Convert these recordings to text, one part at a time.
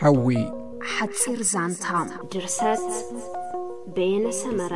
ሓዊ። ሓጺር ዛንታ። ድርሰት በየነ ሰመረ።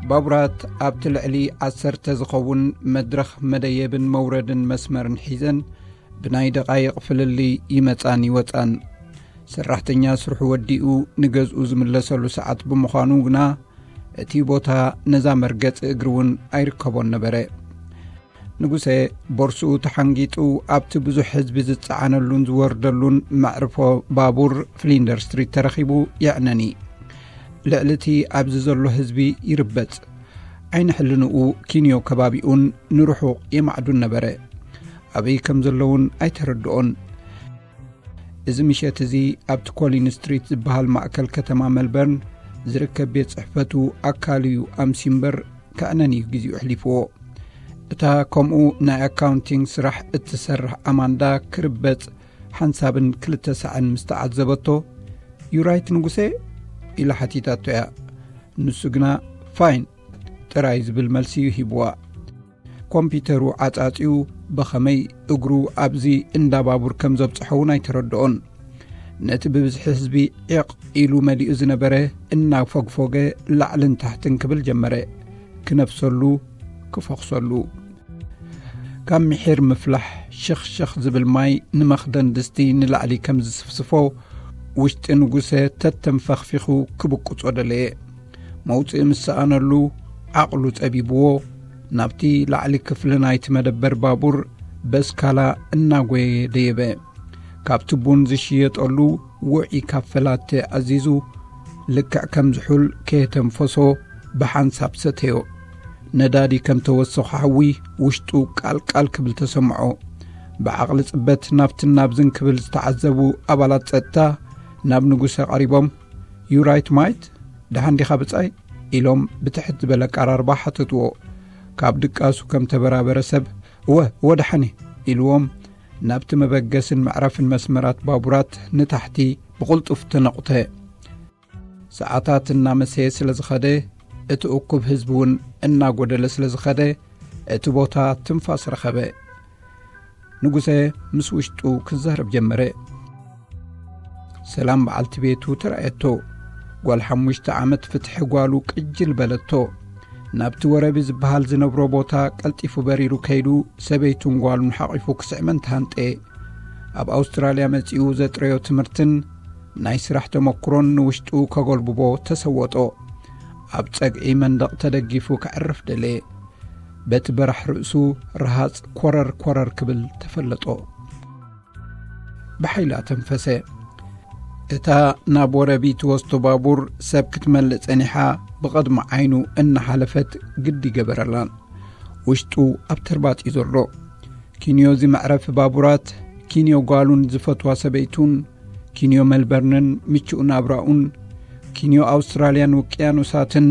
ባቡራት ኣብቲ ልዕሊ ዓሰርተ ዝኸውን መድረኽ መደየብን መውረድን መስመርን ሒዘን ብናይ ደቓይቕ ፍልልይ ይመጻን ይወጻን። ሰራሕተኛ ስርሑ ወዲኡ ንገዝኡ ዝምለሰሉ ሰዓት ብምዃኑ ግና እቲ ቦታ ነዛ መርገጺ እግሪ እውን ኣይርከቦን ነበረ። ንጉሰ ቦርስኡ ተሓንጊጡ ኣብቲ ብዙሕ ህዝቢ ዝጸዓነሉን ዝወርደሉን መዕርፎ ባቡር ፍሊንደር ስትሪት ተረኺቡ የዕነኒ። ልዕሊ እቲ ኣብዚ ዘሎ ህዝቢ ይርበጽ። ዓይኒ ሕልንኡ ኪንዮ ከባቢኡን ንርሑቕ የማዕዱን ነበረ። ኣበይ ከም ዘለውን ኣይተረድኦን። እዚ ምሸት እዚ ኣብቲ ኮሊን ስትሪት ዝበሃል ማእከል ከተማ መልበርን ዝርከብ ቤት ጽሕፈቱ ኣካል እዩ ኣምሲ እምበር ከዕነን እዩ ግዜኡ ኣሕሊፍዎ። እታ ከምኡ ናይ ኣካውንቲንግ ስራሕ እትሰርሕ ኣማንዳ ክርበጽ ሓንሳብን ክልተ ሳዕን ምስ ተዓዘበቶ፣ "ዩ ራይት ንጉሴ?" ኢላ ሓቲታቶ እያ። ንሱ ግና "ፋይን" ጥራይ ዝብል መልሲ እዩ ሂብዋ። ኮምፒተሩ ዓጻጺኡ ብኸመይ እግሩ ኣብዚ እንዳ ባቡር ከም ዘብጽሖ እውን ኣይተረድኦን። ነቲ ብብዝሒ ህዝቢ ዒቕ ኢሉ መሊኡ ዝነበረ እናፈግፎገ ላዕልን ታሕትን ክብል ጀመረ። ክነፍሰሉ፣ ክፈኽሰሉ። ካብ ምሒር ምፍላሕ ሽኽ ሽኽ ዝብል ማይ ንመኽደን ድስቲ ንላዕሊ ከም ዝስፍስፎ፣ ውሽጢ ንጉሰ ተተንፈኽፊኹ ክብቁጾ ደለየ። መውጽኢ ምስ ሰኣነሉ ዓቕሉ ጸቢብዎ፣ ናብቲ ላዕሊ ክፍሊ ናይቲ መደበር ባቡር በስካላ እናጎየ ደየበ። ካብቲ ቡን ዝሽየጠሉ ውዑይ ካፈ ላተ ኣዚዙ፣ ልክዕ ከም ዝሑል ከየተንፈሶ ብሓንሳብ ሰተዮ። ነዳዲ ከም ተወሰኾ ሓዊ ውሽጡ ቃልቃል ክብል ተሰምዖ። ብዓቕሊ ጽበት ናብትን ናብዝን ክብል ዝተዓዘቡ ኣባላት ጸጥታ ናብ ንጉሰ ቀሪቦም፣ "ዩ ራይት ማይት? ደሓን ዲኻ ብጻይ?" ኢሎም ብትሕት ዝበለ ኣቀራርባ ሓተትዎ። ካብ ድቃሱ ከም ተበራበረ ሰብ፣ "እወ፣ እወ ደሓን እየ" ኢልዎም ናብቲ መበገስን መዕረፍን መስመራት ባቡራት ንታሕቲ ብቕልጡፍ ተነቑተ። ሰዓታት እናመሰየ ስለ ዝኸደ፣ እቲ እኩብ ህዝቢ እውን እናጎደለ ስለ ዝኸደ፣ እቲ ቦታ ትንፋስ ረኸበ። ንጉሰ ምስ ውሽጡ ክዛረብ ጀመረ። ሰላም በዓልቲ ቤቱ ተራእየቶ። ጓል ሓሙሽተ ዓመት ፍትሒ ጓሉ ቅጅል በለቶ። ናብቲ ወረቢ ዝበሃል ዝነብሮ ቦታ ቀልጢፉ በሪሩ ከይዱ፣ ሰበይቱን ጓሉን ሓቒፉ ክስዕመን ተሃንጠየ። ኣብ ኣውስትራልያ መጺኡ ዘጥረዮ ትምህርትን ናይ ስራሕ ተመኩሮን ንውሽጡ ከጎልብቦ ተሰወጦ። ኣብ ጸግዒ መንደቕ ተደጊፉ ከዕርፍ ደለየ። በቲ በራሕ ርእሱ ረሃጽ ኮረር ኮረር ክብል ተፈለጦ። ብሓይሊ ኣተንፈሰ። እታ ናብ ወረቢ ትወስዶ ባቡር ሰብ ክትመልእ ጸኒሓ ብቐድሚ ዓይኑ እናሓለፈት ግዲ ገበረላን። ውሽጡ ኣብ ተርባጽ እዩ ዘሎ። ኪንዮ እዚ መዕረፊ ባቡራት፣ ኪንዮ ጓሉን ዝፈትዋ ሰበይቱን፣ ኪንዮ መልበርንን ምቹእ ናብራኡን፣ ኪንዮ ኣውስትራልያን ውቅያኖሳትን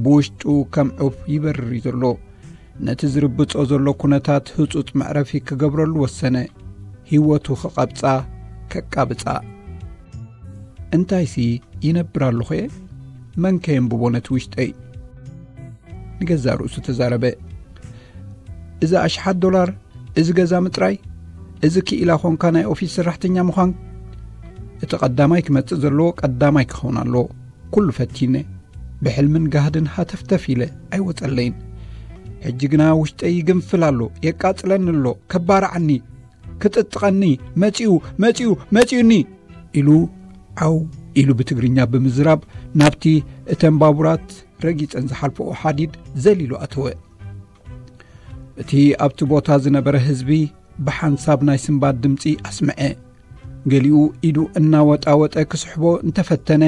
ብውሽጡ ከም ዑፍ ይበርር እዩ ዘሎ። ነቲ ዝርብጾ ዘሎ ኩነታት ህጹጽ መዕረፊ ክገብረሉ ወሰነ። ህይወቱ ክቐብጻ፣ ከቃብጻ። "እንታይሲ ይነብር ኣለኹ እየ? መን ከየንብቦ ነቲ ውሽጠይ?" ንገዛእ ርእሱ ተዛረበ። "እዚ ኣሽሓት ዶላር፣ እዚ ገዛ ምጥራይ፣ እዚ ክኢላ ኾንካ ናይ ኦፊስ ሰራሕተኛ ምዃን፣ እቲ ቀዳማይ ክመጽእ ዘለዎ ቀዳማይ ክኸውን ኣለዎ። ኩሉ ፈቲነ፣ ብሕልምን ጋህድን ሃተፍተፍ ኢለ ኣይወጸለይን። ሕጂ ግና ውሽጠይ ይግንፍል ኣሎ፣ የቃጽለኒ ኣሎ፣ ከባርዓኒ፣ ክጥጥቐኒ፣ መጺኡ፣ መጺኡ፣ መጺኡኒ!" ኢሉ ዓው ኢሉ ብትግርኛ ብምዝራብ ናብቲ እተን ባቡራት ረጊጸን ዝሓልፈኦ ሓዲድ ዘሊሉ ኣተወ። እቲ ኣብቲ ቦታ ዝነበረ ህዝቢ ብሓንሳብ ናይ ስንባድ ድምጺ ኣስምዐ። ገሊኡ ኢዱ እናወጣወጠ ክስሕቦ እንተፈተነ፣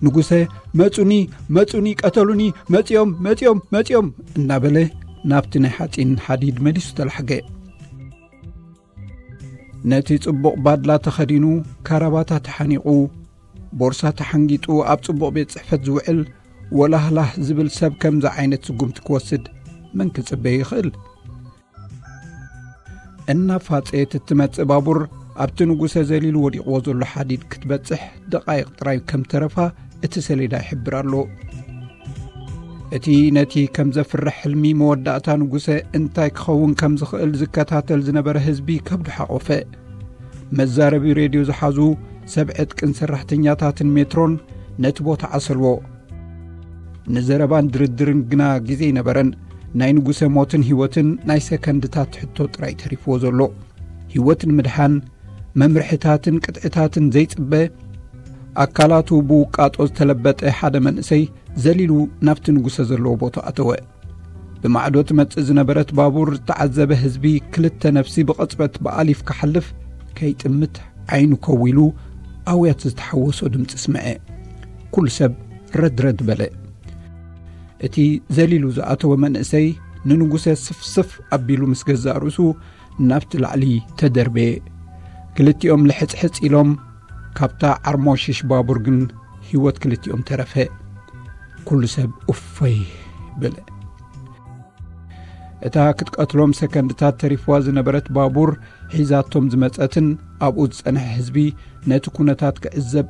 ንጉሰ፣ "መጹኒ፣ መጹኒ፣ ቀተሉኒ፣ መጺኦም፣ መጺኦም፣ መጺኦም!" እናበለ ናብቲ ናይ ሓጺን ሓዲድ መሊሱ ተላሕገ። ነቲ ጽቡቕ ባድላ ተኸዲኑ፣ ካራባታ ተሓኒቑ፣ ቦርሳ ተሓንጊጡ ኣብ ጽቡቕ ቤት ጽሕፈት ዝውዕል ወላህላህ ዝብል ሰብ ከምዚ ዓይነት ስጉምቲ ክወስድ መን ክጽበ ይኽእል? እናፋጸየት እትመጽእ ባቡር ኣብቲ ንጉሰ ዘሊሉ ወዲቕዎ ዘሎ ሓዲድ ክትበጽሕ ደቓይቕ ጥራይ ከም ተረፋ እቲ ሰሌዳ ይሕብር ኣሎ። እቲ ነቲ ከም ዘፍርሕ ሕልሚ መወዳእታ ንጉሰ እንታይ ክኸውን ከም ዝኽእል ዝከታተል ዝነበረ ህዝቢ ከብዱ ሓቖፈ። መዛረቢ ሬድዮ ዝሓዙ ሰብ ዕጥቅን ሰራሕተኛታትን ሜትሮን ነቲ ቦታ ዓሰልዎ። ንዘረባን ድርድርን ግና ግዜ ኣይነበረን። ናይ ንጉሰ ሞትን ህይወትን ናይ ሰከንድታት ሕቶ ጥራይ ተሪፍዎ ዘሎ። ህይወት ንምድሓን መምርሕታትን ቅጥዕታትን ዘይጽበ፣ ኣካላቱ ብውቃጦ ዝተለበጠ ሓደ መንእሰይ ዘሊሉ ናብቲ ንጉሰ ዘለዎ ቦታ ኣተወ። ብማዕዶ ትመጽእ ዝነበረት ባቡር ዝተዓዘበ ህዝቢ ክልተ ነፍሲ ብቕጽበት ብኣሊፍ ክሓልፍ ከይጥምት ዓይኑ ከዊሉ ኣውያት ዝተሓወሶ ድምጺ ስምዐ። ኩሉ ሰብ ረድረድ በለ። እቲ ዘሊሉ ዝኣተወ መንእሰይ ንንጉሰ ስፍስፍ ኣቢሉ ምስ ገዛእ ርእሱ ናብቲ ላዕሊ ተደርበየ። ክልቲኦም ልሕጽሕጽ ኢሎም፣ ካብታ ዓርሞሽሽ ባቡር ግን ህይወት ክልቲኦም ተረፈ። ኩሉ ሰብ እፎይ በለ። እታ ክትቀትሎም ሰከንድታት ተሪፍዋ ዝነበረት ባቡር ሒዛቶም ዝመጸትን ኣብኡ ዝጸንሐ ህዝቢ ነቲ ኩነታት ክዕዘብ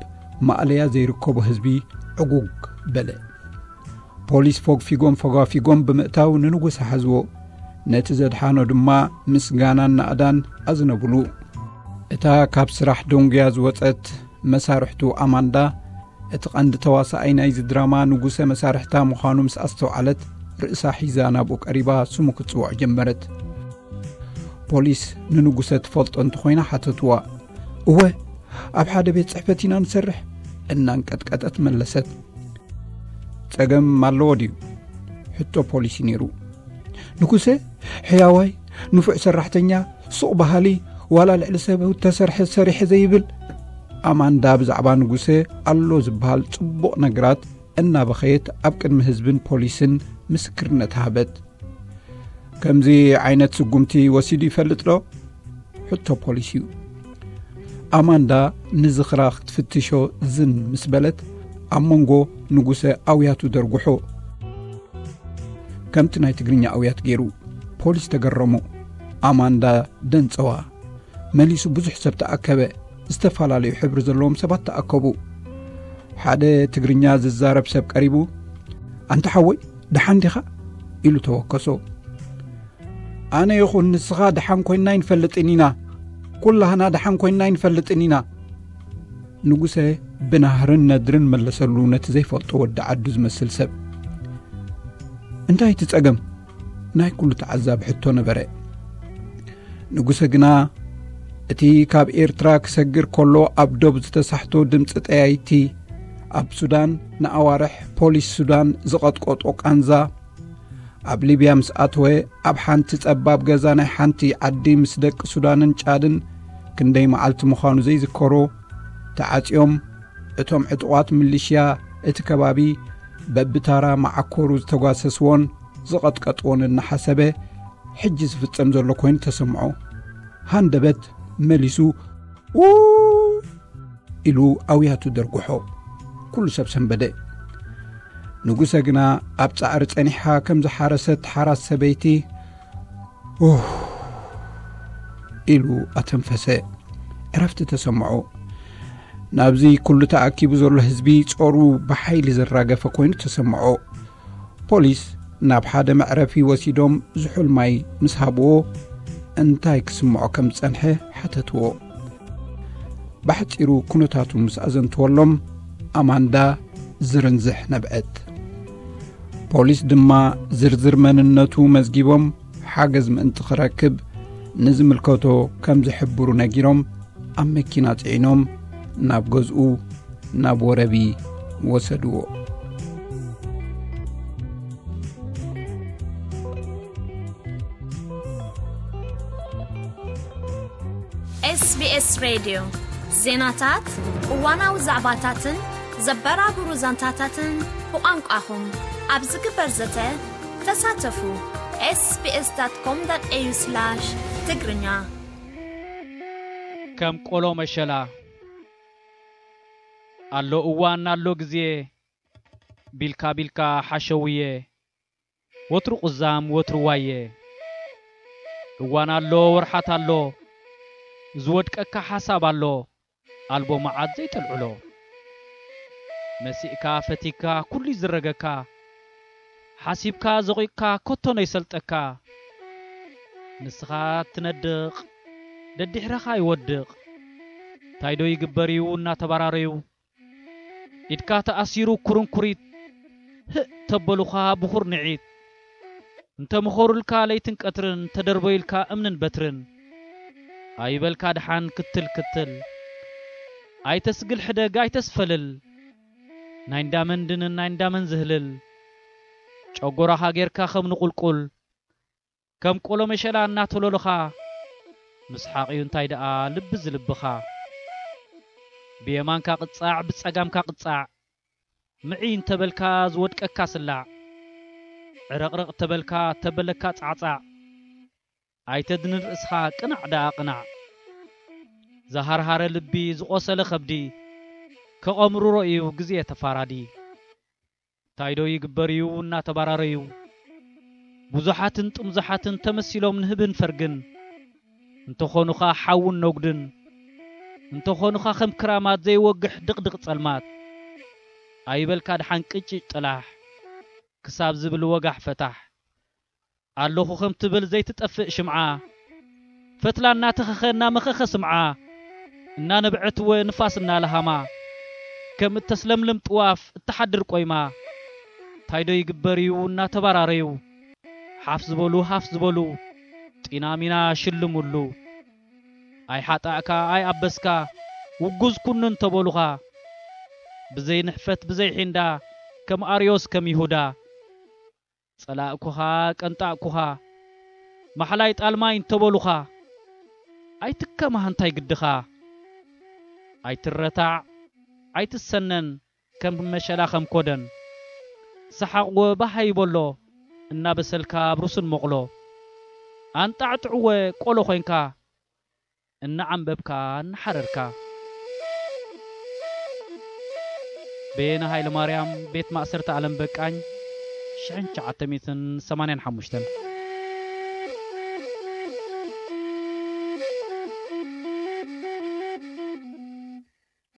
ማእለያ ዘይርከቦ ህዝቢ ዕጉግ በለ። ፖሊስ ፎግፊጎም ፈጓፊጎም ብምእታው ንንጉሰ ሓዝዎ። ነቲ ዘድሓኖ ድማ ምስጋናን ናእዳን ኣዝነብሉ። እታ ካብ ስራሕ ደንጉያ ዝወጸት መሳርሕቱ ኣማንዳ፣ እቲ ቀንዲ ተዋሳኣይ ናይዚ ድራማ ንጉሰ መሳርሕታ ምዃኑ ምስ ኣስተውዓለት፣ ርእሳ ሒዛ ናብኡ ቀሪባ ስሙ ክትጽውዖ ጀመረት። ፖሊስ ንንጉሰ ትፈልጦ እንተኾይና ሓተትዋ። እወ፣ ኣብ ሓደ ቤት ጽሕፈት ኢና ንሰርሕ፣ እናንቀጥቀጠት መለሰት። ጸገም ኣለዎ ድዩ? ሕቶ ፖሊሲ ነይሩ። ንጉሰ፣ ሕያዋይ፣ ንፉዕ ሰራሕተኛ፣ ሱቕ በሃሊ፣ ዋላ ልዕሊ ሰብ ተሰርሐ ሰሪሐ ዘይብል። ኣማንዳ ብዛዕባ ንጉሰ ኣሎ ዝበሃል ጽቡቕ ነገራት እናበኸየት ኣብ ቅድሚ ህዝብን ፖሊስን ምስክርነት ሃበት። ከምዚ ዓይነት ስጉምቲ ወሲዱ ይፈልጥ ዶ? ሕቶ ፖሊስ እዩ። ኣማንዳ ንዝኽራ ክትፍትሾ ዝን ምስ በለት፣ ኣብ መንጎ ንጉሰ ኣውያቱ ደርጉሖ። ከምቲ ናይ ትግርኛ ኣውያት ገይሩ። ፖሊስ ተገረሙ። ኣማንዳ ደንጸዋ። መሊሱ ብዙሕ ሰብ ተኣከበ። ዝተፈላለዩ ሕብሪ ዘለዎም ሰባት ተኣከቡ። ሓደ ትግርኛ ዝዛረብ ሰብ ቀሪቡ፣ "ኣንታ ሓወይ፣ ደሓን ዲኻ?" ኢሉ ተወከሶ። "ኣነ ይኹን ንስኻ ደሓን ኮይንና ኣይንፈልጥን ኢና። ኩላህና ደሓን ኮይንና ኣይንፈልጥን ኢና።" ንጉሰ ብናህርን ነድርን መለሰሉ ነቲ ዘይፈልጦ ወዲ ዓዱ ዝመስል ሰብ። "እንታይ እቲ ጸገም?" ናይ ኩሉ ተዓዛቢ ሕቶ ነበረ። ንጉሰ ግና እቲ ካብ ኤርትራ ክሰግር ከሎ ኣብ ዶብ ዝተሳሕቶ ድምጺ ጠያይቲ፣ ኣብ ሱዳን ንኣዋርሕ ፖሊስ ሱዳን ዝቐጥቀጦ ቃንዛ፣ ኣብ ሊብያ ምስ ኣተወ ኣብ ሓንቲ ጸባብ ገዛ ናይ ሓንቲ ዓዲ ምስ ደቂ ሱዳንን ጫድን ክንደይ መዓልቲ ምዃኑ ዘይዝከሮ፣ ተዓጽዮም እቶም ዕጡቓት ምልሽያ እቲ ከባቢ በብታራ መዓኮሩ ዝተጓሰስዎን ዝቐጥቀጥዎን እናሓሰበ፣ ሕጂ ዝፍጸም ዘሎ ኮይኑ ተሰምዖ። ሃንደበት መሊሱ "ኡ" ኢሉ ኣውያቱ ደርጉሖ። ኩሉ ሰብ ሰንበደ። ንጉሰ ግና ኣብ ጻዕሪ ጸኒሓ ከም ዝሓረሰት ሓራስ ሰበይቲ "ኡህ" ኢሉ ኣተንፈሰ። ዕረፍቲ ተሰምዖ። ናብዚ ኩሉ ተኣኪቡ ዘሎ ህዝቢ ጾሩ ብሓይሊ ዘራገፈ ኮይኑ ተሰምዖ። ፖሊስ ናብ ሓደ መዕረፊ ወሲዶም ዝሑል ማይ ምስ ሃብዎ፣ እንታይ ክስምዖ ከም ዝጸንሐ ሓተትዎ። ብሓጺሩ ኩነታቱ ምስ ኣዘንትወሎም፣ ኣማንዳ ዝርንዝሕ ነብዐት። ፖሊስ ድማ ዝርዝር መንነቱ መዝጊቦም፣ ሓገዝ ምእንቲ ክረክብ ንዝምልከቶ ከም ዝሕብሩ ነጊሮም፣ ኣብ መኪና ጽዒኖም ናብ ገዝኡ፣ ናብ ወረቢ ወሰድዎ። ኤስቢኤስ ሬድዮ ዜናታት፣ እዋናዊ ዛዕባታትን ዘበራብሩ ዛንታታትን ብቋንቋኹም ኣብ ዝግበር ዘተ ተሳተፉ። ኤስቢኤስ ዳት ኮም ዳት ኤዩ ስላሽ ትግርኛ። ከም ቆሎ መሸላ ኣሎ እዋን ኣሎ ግዜ፣ ቢልካ ቢልካ ሓሸውየ፣ ወትሩ ቁዛም ወትሩ ዋየ። እዋን ኣሎ ወርሓት ኣሎ፣ ዝወድቀካ ሓሳብ ኣሎ፣ ኣልቦ መዓት ዘይተልዕሎ። መሲእካ ፈቲካ ኩሉ ይዝረገካ፣ ሓሲብካ ዘቑቕካ ኮቶ ነይሰልጠካ። ንስኻ ትነድቕ፣ ደድሕረኻ ይወድቕ። እንታይ ዶ ይግበር እዩ እናተባራረዩ? ኢድካ ተኣሲሩ ኩርንኩሪት፣ ህእ ተበሉኻ ብኹር ንዒት። እንተ ምኸሩልካ ለይትን ቀትርን፣ ተደርበዩልካ እምንን በትርን። ኣይበልካ ደሓን ክትል ክትል። ኣይተስግል ሕደግ ኣይተስፈልል። ናይ እንዳመን ድንን ናይ እንዳመን ዝህልል። ጨጎራኻ ጌርካ ከም ንቑልቁል። ከም ቆሎ መሸላ እናተሎልኻ። ምስሓቕ እዩ እንታይ ደኣ ልቢ ዝልብኻ። ብየማንካ ቅጻዕ ብጸጋምካ ቅጻዕ። ምዒ እንተበልካ ዝወድቀካ ስላዕ። ዕረቕረቕ ተበልካ ተበለካ ጻዕጻዕ። ኣይተድንን ርእስኻ ቅናዕ ደኣ ቅናዕ። ዝሃርሃረ ልቢ ዝቖሰለ ከብዲ። ከቐምርሮ እዩ ግዜ ተፋራዲ። እንታይ ዶ ይግበር እዩ እናተባራረዩ። ብዙሓትን ጥምዙሓትን ተመሲሎም ንህብን ፈርግን። እንተኾኑኻ ሓውን ነጉድን። እንተኾኑኻ ከም ክራማት ዘይወግሕ ድቕድቕ ጸልማት። ኣይበልካ ደሓን ቅጭጭ ጥላሕ። ክሳብ ዝብል ወጋሕ ፈታሕ። ኣለኹ ከም ትብል ዘይትጠፍእ ሽምዓ። ፈትላ እናተኸኸ እናመኸኸ ስምዓ። እናነብዐት እወ ንፋስ እናለሃማ። ከም እተስለምልም ጥዋፍ እትሓድር ቆይማ። እንታይ ዶ ይግበር እዩ እናተባራረዩ። ሓፍ ዝበሉ ሃፍ ዝበሉ። ጢናሚና ሽልሙሉ። ኣይሓጣእካ ኣይኣበስካ። ውጉዝ ኩኑ እንተበሉኻ። ብዘይ ንሕፈት ብዘይ ሒንዳ። ከም ኣርዮስ ከም ይሁዳ። ጸላእኩኻ ቀንጣእኩኻ። ማሕላይ ጣልማይ እንተበሉኻ። ኣይትከማህ እንታይ ግድኻ። ኣይትረታዕ ኣይትሰነን ከም መሸላ ከም ኮደን። ሰሓቕ ወባሃ ይበሎ እናበሰልካ ኣብ ሩስን መቑሎ። ኣንጣዕጥዕወ ቆሎ ኮይንካ እናዓንበብካ እናሓረርካ። በየነ ሃይለማርያም፣ ቤት ማእሰርቲ ኣለም በቃኝ፣ ሽሕን ትሽዓተ ሚእትን ሰማንያን ሓሙሽተን።